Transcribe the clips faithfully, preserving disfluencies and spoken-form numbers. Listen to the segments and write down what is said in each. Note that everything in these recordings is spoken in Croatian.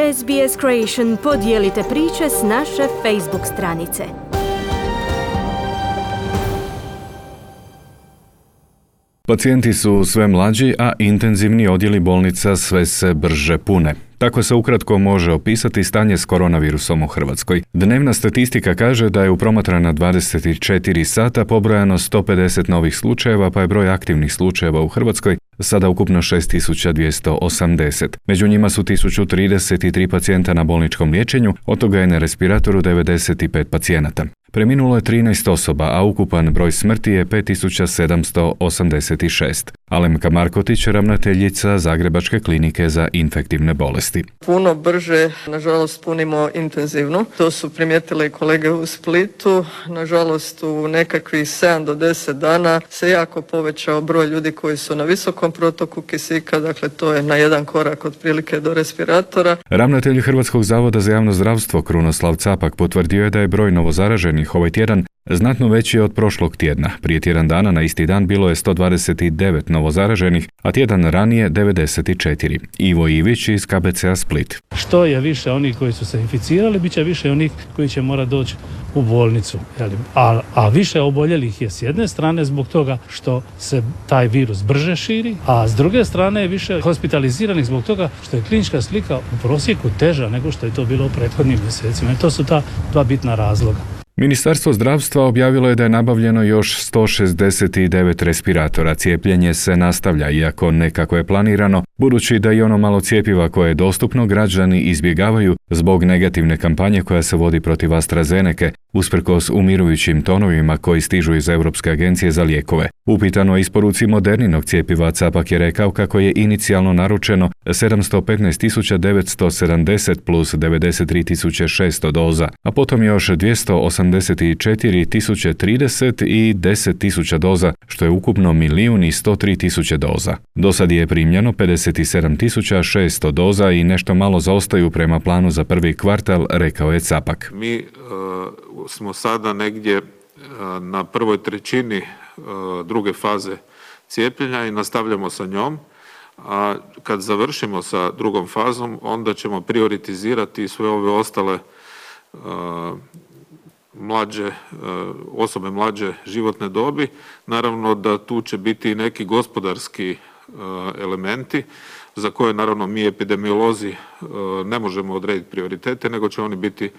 S B S Creation podijelite priče s naše Facebook stranice. Pacijenti su sve mlađi, a intenzivni odjeli bolnica sve se brže pune. Tako se ukratko može opisati stanje s koronavirusom u Hrvatskoj. Dnevna statistika kaže da je u promatrana dvadeset četiri sata pobrojano sto pedeset novih slučajeva, pa je broj aktivnih slučajeva u Hrvatskoj sada ukupno šest tisuća dvjesto osamdeset. Među njima su tisuću trideset tri pacijenta na bolničkom liječenju, od toga je na respiratoru devedeset pet pacijenata. Preminulo je trinaest osoba, a ukupan broj smrti je pet tisuća sedamsto osamdeset šest. Alemka Markotić, ravnateljica Zagrebačke klinike za infektivne bolesti. Puno brže, nažalost, punimo intenzivno. To su primijetile i kolege u Splitu. Nažalost, u nekakvih sedam do deset dana se jako povećao broj ljudi koji su na visokom protoku kisika, dakle to je na jedan korak otprilike do respiratora. Ravnatelj Hrvatskog zavoda za javno zdravstvo Krunoslav Capak potvrdio je da je broj novozaraženih ovaj tjedan znatno veći od prošlog tjedna. Prije tjedan dana na isti dan bilo je sto dvadeset devet novozaraženih, a tjedan ranije devedeset četiri. Ivo Ivić iz K B C-a Split. Što je više onih koji su se inficirali, bit će više onih koji će morati doći u bolnicu. A, a više oboljelih je s jedne strane zbog toga što se taj virus brže širi, a s druge strane je više hospitaliziranih zbog toga što je klinička slika u prosjeku teža nego što je to bilo u prethodnim mjesecima. I to su ta dva bitna razloga. Ministarstvo zdravstva objavilo je da je nabavljeno još sto šezdeset devet respiratora. Cijepljenje se nastavlja, iako ne kako je planirano, budući da i ono malo cjepiva koje je dostupno građani izbjegavaju zbog negativne kampanje koja se vodi protiv AstraZeneke, usprkos umirujućim tonovima koji stižu iz Europske agencije za lijekove. Upitano o isporuci Moderninog cjepiva, Capak je rekao kako je inicijalno naručeno sedamsto petnaest tisuća devetsto sedamdeset plus devedeset tri tisuće šesto doza, a potom još dvjesto osamdeset četiri tisuće trideset i deset tisuća doza, što je ukupno milijun i sto tri tisuće doza. Do sad je primljeno pedeset sedam tisuća šesto doza i nešto malo zaostaju prema planu za prvi kvartal, rekao je Capak. Mi uh, smo sada negdje uh, na prvoj trećini uh, druge faze cijepljenja i nastavljamo sa njom. A kad završimo sa drugom fazom, onda ćemo prioritizirati sve ove ostale uh, mlađe, osobe mlađe životne dobi. Naravno da tu će biti neki gospodarski elementi za koje naravno mi epidemiolozi ne možemo odrediti prioritete, nego će oni biti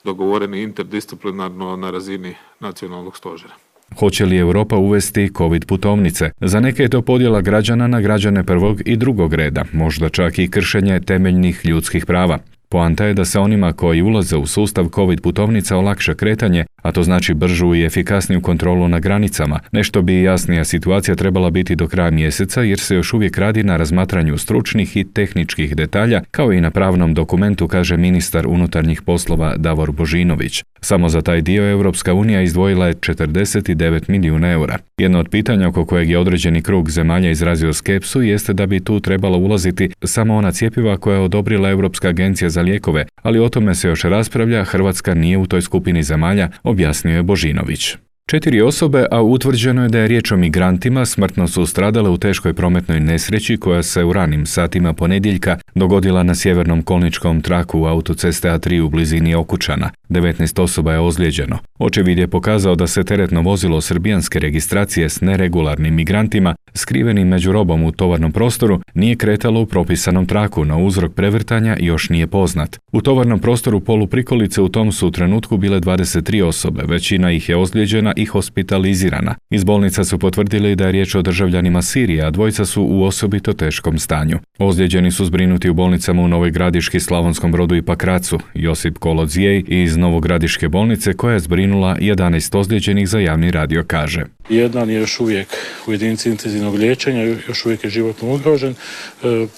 dogovoreni interdisciplinarno na razini nacionalnog stožera. Hoće li Europa uvesti COVID putovnice? Za neke je to podjela građana na građane prvog i drugog reda, možda čak i kršenje temeljnih ljudskih prava. Poanta je da se onima koji ulaze u sustav COVID putovnica olakša kretanje, a to znači bržu i efikasniju kontrolu na granicama. Nešto bi jasnija situacija trebala biti do kraja mjeseca, jer se još uvijek radi na razmatranju stručnih i tehničkih detalja, kao i na pravnom dokumentu, kaže ministar unutarnjih poslova Davor Božinović. Samo za taj dio Europska unija izdvojila je četrdeset devet milijuna eura. Jedno od pitanja oko kojeg je određeni krug zemalja izrazio skepsu jeste da bi tu trebalo ulaziti samo ona cjepiva koja je odobrila Europska agencija za lijekove, ali o tome se još raspravlja, Hrvatska nije u toj skupini zemalja, objasnio je Božinović. Četiri osobe, a utvrđeno je da je riječ o migrantima, smrtno su stradale u teškoj prometnoj nesreći koja se u ranim satima ponedjeljka dogodila na sjevernom kolničkom traku autoceste A tri u blizini Okučana. devetnaest osoba je ozlijeđeno. Očevid je pokazao da se teretno vozilo srbijanske registracije s neregularnim migrantima, skrivenim među robom u tovarnom prostoru, nije kretalo u propisanom traku, no uzrok prevrtanja još nije poznat. U tovarnom prostoru poluprikolice u tom su trenutku bile dvadeset tri osobe, većina ih je ozlijeđena i hospitalizirana. Iz bolnica su potvrdili da je riječ o državljanima Sirije, a dvojica su u osobito teškom stanju. Ozlijeđeni su zbrinuti u bolnicama u Novoj Gradiški, Slavonskom Brodu i Pakracu. Josip Kolodzijej iz Novogradiške bolnice, koja je zbrinula jedanaest ozlijeđenih, za javni radio kaže. Jedan je još uvijek u jedinici intenzivnog liječenja, još uvijek je životno ugrožen.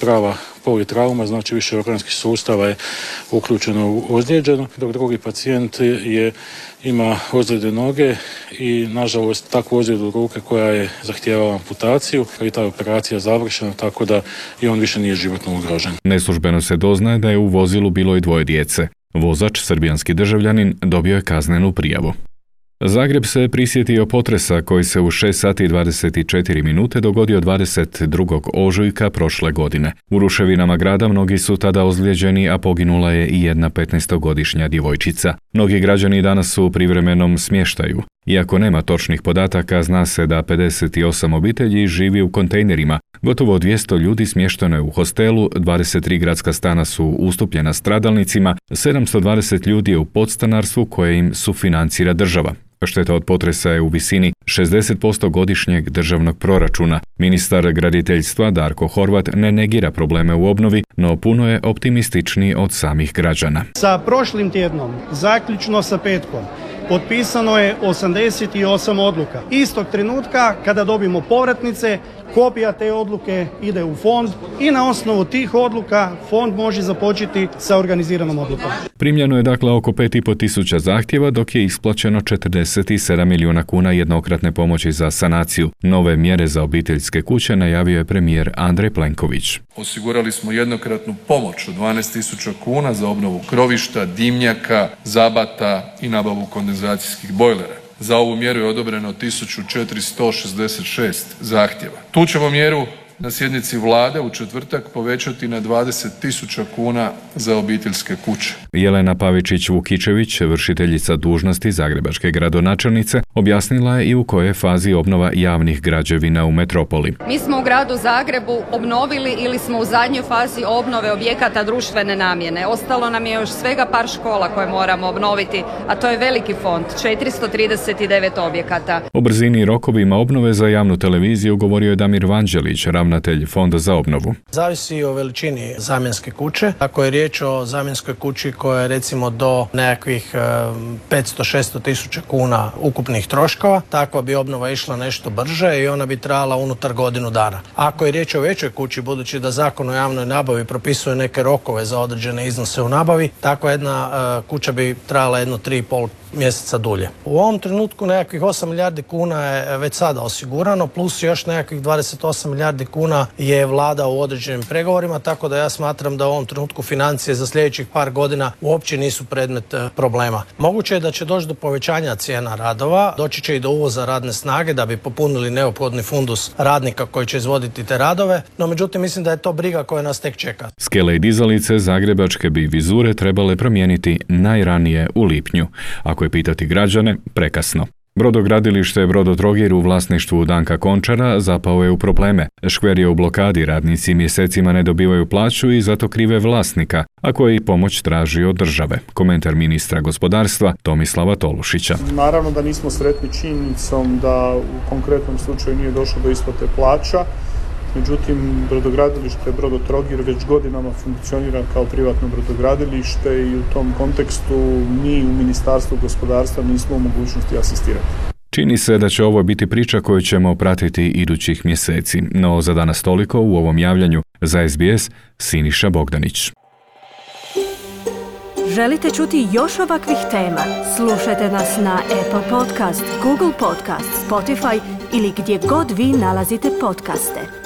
Prava politrauma, znači više organskih sustava je uključeno u ozlijeđeno, dok drugi pacijent je, ima ozljede noge i nažalost takvu ozljedu ruke koja je zahtijevala amputaciju i ta operacija završena, tako da i on više nije životno ugrožen. Neslužbeno se doznaje da je u vozilu bilo i dvoje djece. Vozač, srbijanski državljanin, dobio je kaznenu prijavu. Zagreb se prisjetio potresa koji se u šest sati i dvadeset četiri minute dogodio dvadeset drugog ožujka prošle godine. U ruševinama grada mnogi su tada ozlijeđeni, a poginula je i jedna petnaestogodišnja djevojčica. Mnogi građani danas su u privremenom smještaju. Iako nema točnih podataka, zna se da pedeset osam obitelji živi u kontejnerima. Gotovo dvjesto ljudi smješteno je u hostelu, dvadeset tri gradska stana su ustupljena stradalnicima, sedamsto dvadeset ljudi je u podstanarstvu koje im sufinancira država. Šteta od potresa je u visini šezdeset posto godišnjeg državnog proračuna. Ministar graditeljstva Darko Horvat ne negira probleme u obnovi, no puno je optimističniji od samih građana. Sa prošlim tjednom, zaključno sa petkom, potpisano je osamdeset osam odluka. Istog trenutka kada dobimo povratnice, kopija te odluke ide u fond i na osnovu tih odluka fond može započeti sa organiziranom odlukom. Primljeno je dakle oko pet i pol tisuća zahtjeva, dok je isplaćeno četrdeset sedam milijuna kuna jednokratne pomoći za sanaciju. Nove mjere za obiteljske kuće najavio je premijer Andrej Plenković. Osigurali smo jednokratnu pomoć od dvanaest tisuća kuna za obnovu krovišta, dimnjaka, zabata i nabavu kondenzacijskih bojlera. Za ovu mjeru je odobreno tisuću četiristo šezdeset šest zahtjeva. Tu ćemo mjeru na sjednici vlade u četvrtak povećati na dvadeset tisuća kuna za obiteljske kuće. Jelena Pavičić-Vukičević, vršiteljica dužnosti zagrebačke gradonačelnice, objasnila je i u kojoj je fazi obnova javnih građevina u metropoli. Mi smo u gradu Zagrebu obnovili ili smo u zadnjoj fazi obnove objekata društvene namjene. Ostalo nam je još svega par škola koje moramo obnoviti, a to je veliki fond, četiristo trideset devet objekata. O brzini i rokovima obnove za javnu televiziju govorio je Damir Vanđelić, ravnatelj Fonda za obnovu. Zavisi o veličini zamjenske kuće. Ako je riječ o zamjenskoj kući koja je recimo do nekakvih petsto do šesto tisuća kuna ukupnih troškova, takva bi obnova išla nešto brže i ona bi trajala unutar godinu dana. Ako je riječ o većoj kući, budući da Zakon o javnoj nabavi propisuje neke rokove za određene iznose u nabavi, takva jedna kuća bi trajala jedno tri i pol mjeseca dulje. U ovom trenutku nekakvih osam milijardi kuna je već sada osigurano, plus još nekakvih dvadeset osam milijardi kuna je vlada u određenim pregovorima, tako da ja smatram da u ovom trenutku financije za sljedećih par godina uopće nisu predmet problema. Moguće je da će doći do povećanja cijena radova, doći će i do uvoza radne snage da bi popunili neophodni fundus radnika koji će izvoditi te radove, no međutim mislim da je to briga koja nas tek čeka. Skele i dizalice zagrebačke bi vizure trebale promijeniti najranije u lipnju. Ako je pitati građane, prekasno. Brodogradilište Brodotrogir u vlasništvu Danka Končara zapao je u probleme. Škver je u blokadi, radnici mjesecima ne dobivaju plaću i zato krive vlasnika, a koji pomoć traži od države. Komentar ministra gospodarstva Tomislava Tolušića. Naravno da nismo sretni činjenicom da u konkretnom slučaju nije došlo do isplate plaća. Međutim, brodogradilište Brodotrogir već godinama funkcionira kao privatno brodogradilište i u tom kontekstu mi u Ministarstvu gospodarstva nismo u mogućnosti asistirati. Čini se da će ovo biti priča koju ćemo pratiti idućih mjeseci, no za danas toliko u ovom javljanju. Za S B S, Siniša Bogdanić. Želite čuti još ovakvih tema? Slušajte nas na Apple Podcast, Google Podcast, Spotify ili gdje god vi nalazite podcaste.